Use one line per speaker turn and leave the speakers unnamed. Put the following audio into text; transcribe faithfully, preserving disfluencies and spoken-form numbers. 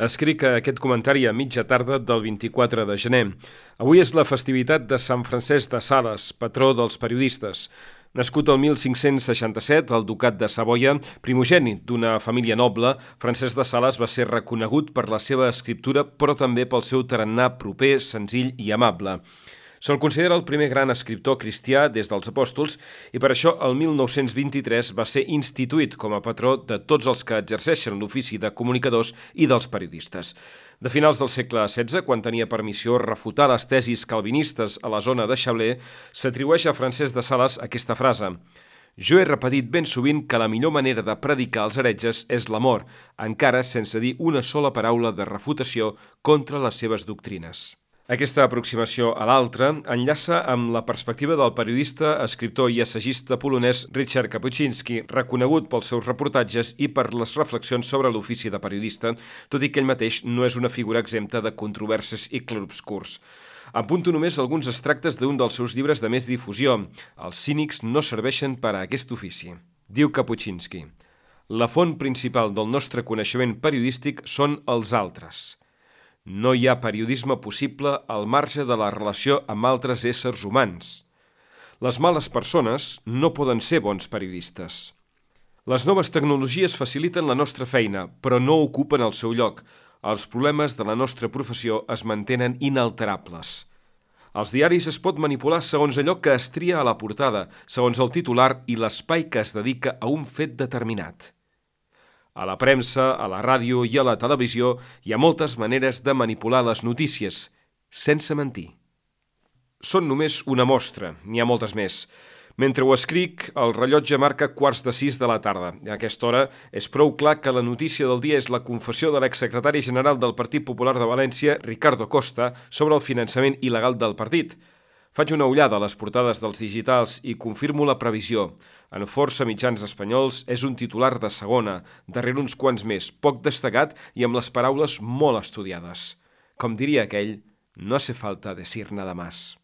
Escric aquest comentari a mitja tarda del vint-i-quatre de gener. Avui és la festivitat de Sant Francesc de Sales, patró dels periodistes. Nascut el mil cinc-cents seixanta-set al Ducat de Savoia, primogènit d'una família noble, Francesc de Sales va ser reconegut per la seva escriptura, però també pel seu tarannà proper, senzill i amable. Se'l considera el primer gran escriptor cristià des dels apòstols i per això el mil nou-cents vint-i-tres va ser instituït com a patró de tots els que exerceixen l'ofici de comunicadors i dels periodistes. De finals del segle setze, quan tenia per missió refutar les tesis calvinistes a la zona de Chablais, s'atribueix a Francesc de Sales aquesta frase: «Jo he repetit ben sovint que la millor manera de predicar als heretges és l'amor, encara sense dir una sola paraula de refutació contra les seves doctrines». Aquesta aproximació a l'altre enllaça amb la perspectiva del periodista, escriptor i assagista polonès Richard Kapuscinski, reconegut pels seus reportatges i per les reflexions sobre l'ofici de periodista, tot i que ell mateix no és una figura exempta de controvèrsies i clarobscurs. Apunto només alguns extractes d'un dels seus llibres de més difusió. Els cínics no serveixen per a aquest ofici. Diu Kapuscinski: «La font principal del nostre coneixement periodístic són els altres. No hi ha periodisme possible al marge de la relació amb altres éssers humans. Les males persones no poden ser bons periodistes. Les noves tecnologies faciliten la nostra feina, però no ocupen el seu lloc. Els problemes de la nostra professió es mantenen inalterables. Els diaris es pot manipular segons allò que es tria a la portada, segons el titular i l'espai que es dedica a un fet determinat. A la premsa, a la ràdio i a la televisió hi ha moltes maneres de manipular les notícies, sense mentir. Són només una mostra, n'hi ha moltes més. Mentre ho escric, el rellotge marca quarts de sis de la tarda. A aquesta hora és prou clar que la notícia del dia és la confessió de l'exsecretari general del Partit Popular de València, Ricardo Costa, sobre el finançament il·legal del partit. Faig una ullada a les portades dels digitals i confirmo la previsió. En força mitjans espanyols és un titular de segona, darrere uns quants més, poc destacat i amb les paraules molt estudiades. Com diria aquell, no hace falta decir nada más.